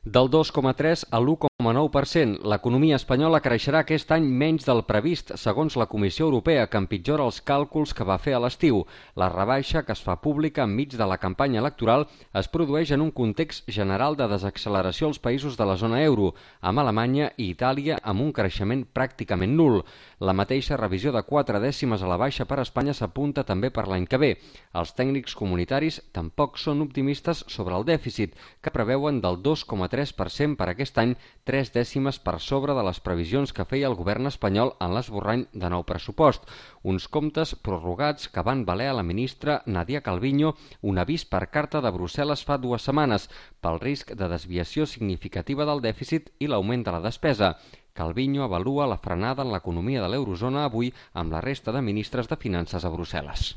Del 2,3 a l'1,9%. L'economia espanyola creixerà aquest any menys del previst, segons la Comissió Europea, que empitjora els càlculs que va fer a l'estiu. La rebaixa, que es fa pública enmig de la campanya electoral, es produeix en un context general de desacceleració als països de la zona euro, amb Alemanya i Itàlia amb un creixement pràcticament nul. La mateixa revisió de 4 dècimes a la baixa per a Espanya s'apunta també per l'any que ve. Els tècnics comunitaris tampoc són optimistes sobre el dèficit, que preveuen del 2,3% per aquest any, 3 dècimes per sobre de les previsions que feia el govern espanyol en l'esborrany de nou pressupost. Uns comptes prorrogats que van valer a la ministra Nadia Calviño un avís per carta de Brussel·les fa 2 setmanes pel risc de desviació significativa del dèficit i l'augment de la despesa. Calviño avalua la frenada en l'economia de l'eurozona avui amb la resta de ministres de Finances a Brussel·les.